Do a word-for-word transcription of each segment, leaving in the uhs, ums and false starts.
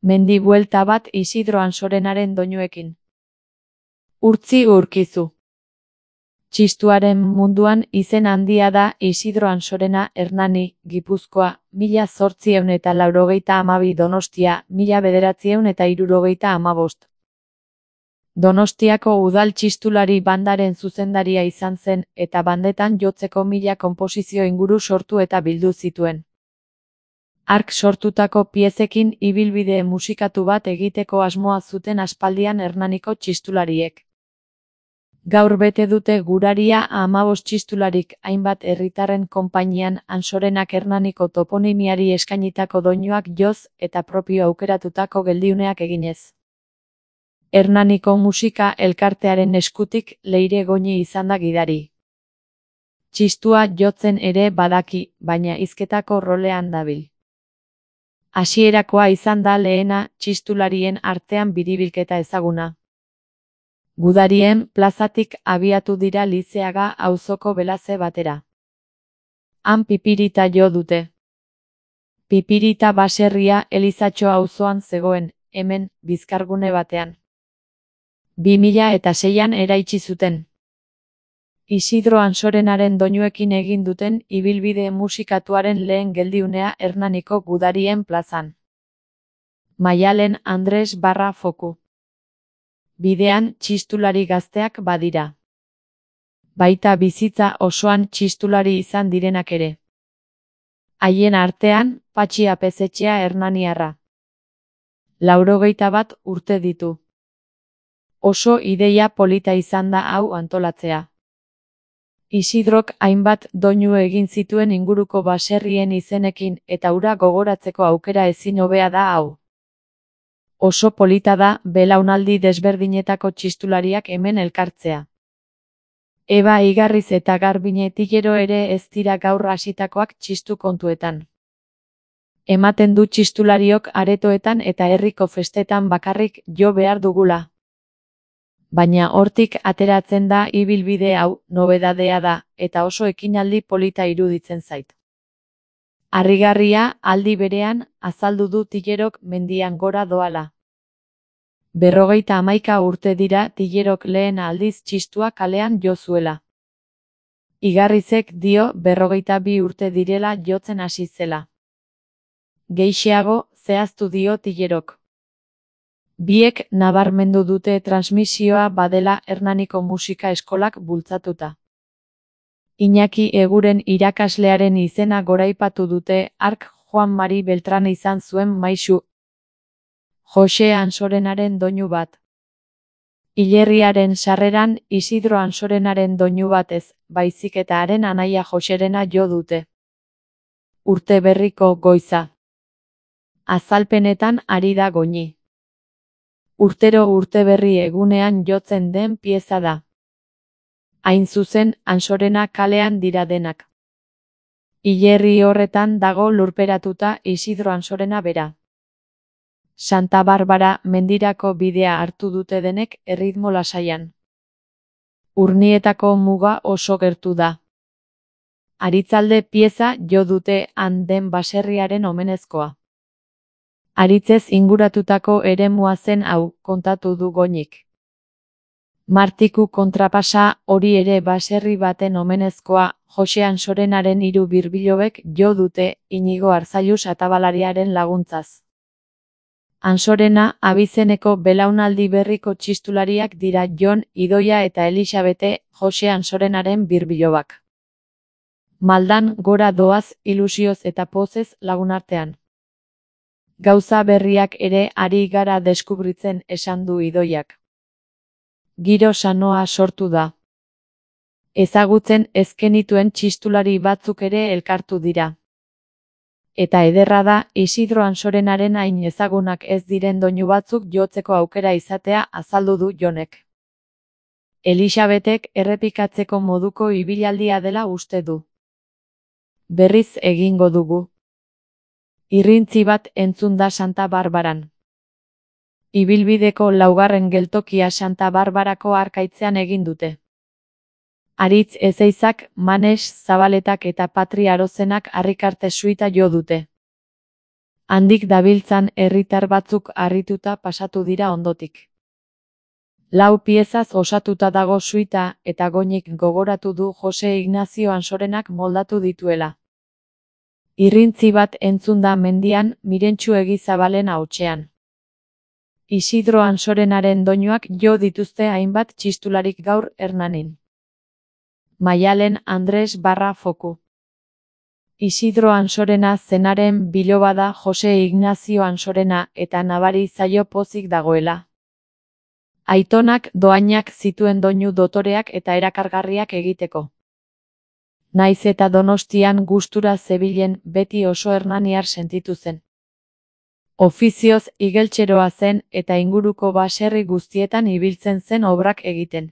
Mendi buelta bat Isidro Ansorenaren doinuekin. Urtzi urkizu. Txistuaren munduan izen handia da Isidro Ansorena Hernani, Gipuzkoa, mila zortziehun eta laurogeita hamabi Donostia, mila bederatziehun eta hirurogeita hamabost. Donostiako udal txistulari bandaren zuzendaria izan zen, eta bandetan jotzeko mila konposizio inguru sortu eta bildu zituen. Hark sortutako piezekin ibilbide musikatu bat egiteko asmoa zuten aspaldian Hernaniko txistulariek. Gaur bete dute guraria hamabost txistularik hainbat herritarren konpainian Ansorenak Hernaniko toponimiari eskainitako doinuak joz eta propio aukeratutako geldiuneak eginez. Hernaniko musika elkartearen eskutik Leire Goñi izan da gidari. Txistua jotzen ere badaki, baina hizketako rolean dabil. Hasierakoa izan da lehena txistularien artean biribilketa ezaguna. Gudarien plazatik abiatu dira Lizeaga auzoko Belaze batera. Han Pipirita jo dute. Pipirita baserria Elizatxo auzoan zegoen, hemen, bizkargune batean. bi mila eta seian eraitsi zuten. Isidro Ansorenaren doinuekin egin duten ibilbide musikatuaren lehen geldiunea Hernaniko Gudarien plazan. Maialen Andres barra foku. Bidean txistulari gazteak badira. Baita bizitza osoan txistulari izan direnak ere. Haien artean, Patxi Apezetxea Hernaniarra. Laurogeita bat urte ditu. Oso ideia polita izan da hau antolatzea. Isidrok hainbat doinu egin zituen inguruko baserrien izenekin eta hura gogoratzeko aukera ezin hobea da hau. Oso polita da belaunaldi desberdinetako txistulariak hemen elkartzea. Eba Igarriz eta Garbine Tillero ere ez dira gaur hasitakoak txistu kontuetan. Ematen du txistulariok aretoetan eta herriko festetan bakarrik jo behar dugula. Baina hortik ateratzen da ibilbide hau, nobedadea da, eta oso ekinaldi polita iruditzen zait. Harrigarria, aldi berean, azaldu du Tillerok mendian gora doala. Berrogeita hamaika urte dira Tillerok lehen aldiz txistua kalean jo zuela. Igarrizek dio berrogeita bi urte direla jotzen hasi zela. Gehixeago, zehaztu dio Tillerok. Biek nabarmendu dute transmisioa badela Hernaniko musika eskolak bultzatuta. Iñaki Eguren irakaslearen izena goraipatu dute, hark Juan Mari Beltran izan zuen maisu. Jose Ansorenaren doinu bat. Hilerriaren sarreran Isidro Ansorenaren doinu batez, baizik eta haren anaia Joserena jo dute. Urte berriko goiza. Azalpenetan ari da Goñi. Urtero urteberri egunean jotzen den pieza da. Hain zuzen, Ansorena kalean dira denak. Hilerri horretan dago lurperatuta Isidro Ansorena bera. Santa Barbara mendirako bidea hartu dute denek erritmo lasaian. Urnietako muga oso gertu da. Aritzalde pieza jo dute han den baserriaren omenezkoa. Aritzez inguratutako eremua zen hau, kontatu du Goñik. Martiku kontrapasa hori ere baserri baten omenezkoa, Jose Ansorenaren hiru birbilobek jo dute Inigo Arzallus atabalariaren laguntzaz. Ansorena abizeneko belaunaldi berriko txistulariak dira Jon, Idoia eta Elisabete, Jose Ansorenaren birbilobak. Maldan gora doaz ilusioz eta pozez lagunartean. Gauza berriak ere ari gara deskubritzen esan du Idoiak. Giro sanoa sortu da. Ezagutzen ezkenituen txistulari batzuk ere elkartu dira. Eta ederra da Isidro Ansorenaren hain ezagunak ez diren doinu batzuk jotzeko aukera izatea azaldu du Jonek. Elisabetek errepikatzeko moduko ibilaldia dela uste du. Berriz egingo dugu. Irrintzi bat entzun da Santa Barbaran. Ibilbideko laugarren geltokia Santa Barbarako arkaitzean egin dute. Aritz Ezeizak, Manes Zabaletak eta Patri Arozenak harrikarte suita jo dute. Handik dabiltzan herritar batzuk harrituta pasatu dira ondotik. Lau piezaz osatuta dago suita eta Goñik gogoratu du Jose Ignazio Ansorenak moldatu dituela. Irrintzi bat entzun da mendian Mirentxu Egizabalen ahotsean. Isidro Ansorenaren doinuak jo dituzte hainbat txistularik gaur Hernanin. Maialen Andres barra foku. Isidro Ansorena zenaren biloba da Jose Ignazio Ansorena eta nabari zaio pozik dagoela. Aitonak doainak zituen doinu dotoreak eta erakargarriak egiteko. Naiz eta Donostian gustura zebilen beti oso hernaniar sentitu zen. Ofizioz igeltseroa zen eta inguruko baserri guztietan ibiltzen zen obrak egiten.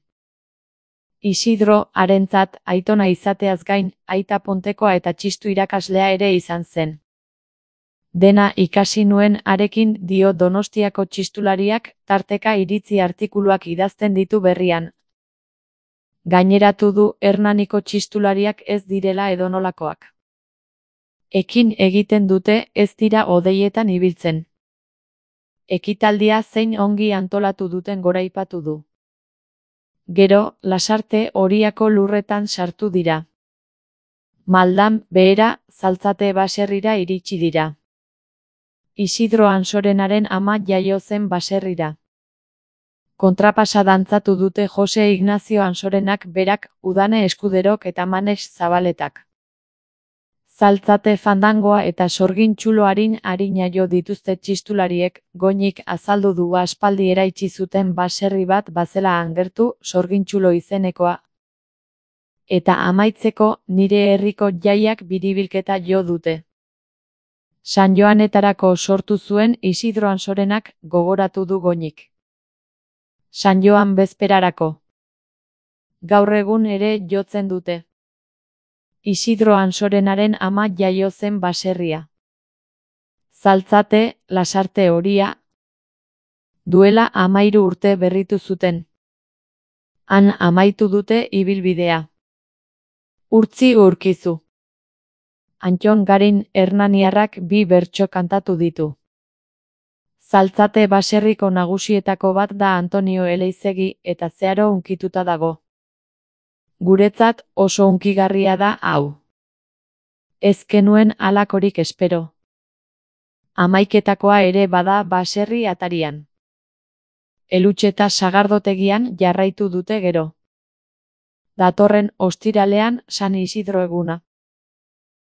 Isidro harentzat aitona izateaz gain, aita pontekoa eta txistu irakaslea ere izan zen. Dena ikasi nuen harekin dio Donostiako txistulariak, tarteka iritzi artikuluak idazten ditu berrian. Gaineratu du Hernaniko txistulariak ez direla edonolakoak. Ekin egiten dute ez dira odeietan ibiltzen. Ekitaldia zein ongi antolatu duten goraipatu du. Gero, Lasarte Oriako lurretan sartu dira. Maldan behera, Zaltzate baserrira iritsi dira. Isidro Ansorenaren ama jaio zen baserrira. Kontrapasa dantzatu dute Jose Ignazio Ansorenak berak, Udane Eskuderok eta Manes Zabaletak. Zaltzate fandangoa eta sorgin txulo arin arina jo dituzte txistulariek, Goñik azaldu du aspaldi eraitsi zuten baserri bat bazela angertu, sorgin txulo izenekoa. Eta amaitzeko, nire herriko jaiak biribilketa jo dute. San Joanetarako sortu zuen Isidro Ansorenak gogoratu du Goñik. San Joan bezperarako. Gaur egun ere jotzen dute. Isidro Ansorenaren ama jaio zen baserria. Zaltzate, Lasarte Oria. Duela amairu urte berritu zuten. Han amaitu dute ibilbidea. Urtzi urkizu. Antton Garin hernaniarrak bi bertso kantatu ditu. Zaltzate baserriko nagusietako bat da Antonio Eleizegi eta zeharo hunkituta dago. Guretzat oso hunkigarria da hau. Ez genuen halakorik espero. Hamaiketakoa ere bada baserri atarian. Elutxeta sagardotegian jarraitu dute gero. Datorren ostiralean San Isidro eguna.